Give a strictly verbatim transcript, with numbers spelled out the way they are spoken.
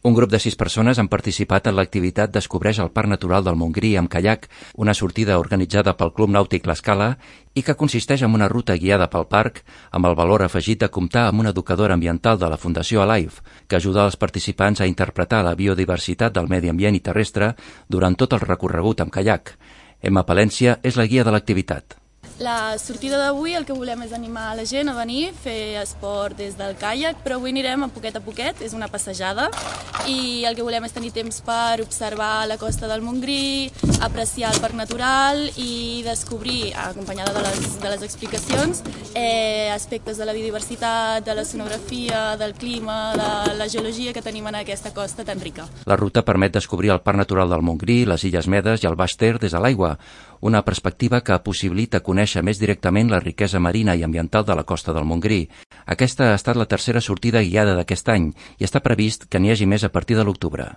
Un grup de sis persones han participat en l'activitat Descobreix el Parc Natural del Montgrí amb caiac, una sortida organitzada pel Club Nàutic L'Escala i que consisteix en una ruta guiada pel parc amb el valor afegit de comptar amb una educadora ambiental de la Fundació Alive, que ajuda els participants a interpretar la biodiversitat del medi ambient i terrestre durant tot el recorregut amb caiac. Emma Palència és la guia de l'activitat. La sortida d'avui el que volem és animar la gent a venir, fer esport des del caiac, però avui anirem a poquet a poquet, és una passejada, i el que volem és tenir temps per observar la costa del Montgrí, apreciar el parc natural i descobrir, acompanyada de les, de les explicacions, eh, aspectes de la biodiversitat, de la sonografia, del clima, de la geologia que tenim en aquesta costa tan rica. La ruta permet descobrir el Parc Natural del Montgrí, les Illes Medes i el Baix Ter des de l'aigua, una perspectiva que possibilita conèixer més directament la riquesa marina i ambiental de la costa del Montgrí. Aquesta ha estat la tercera sortida guiada d'aquest any i està previst que n'hi hagi més a partir de l'octubre.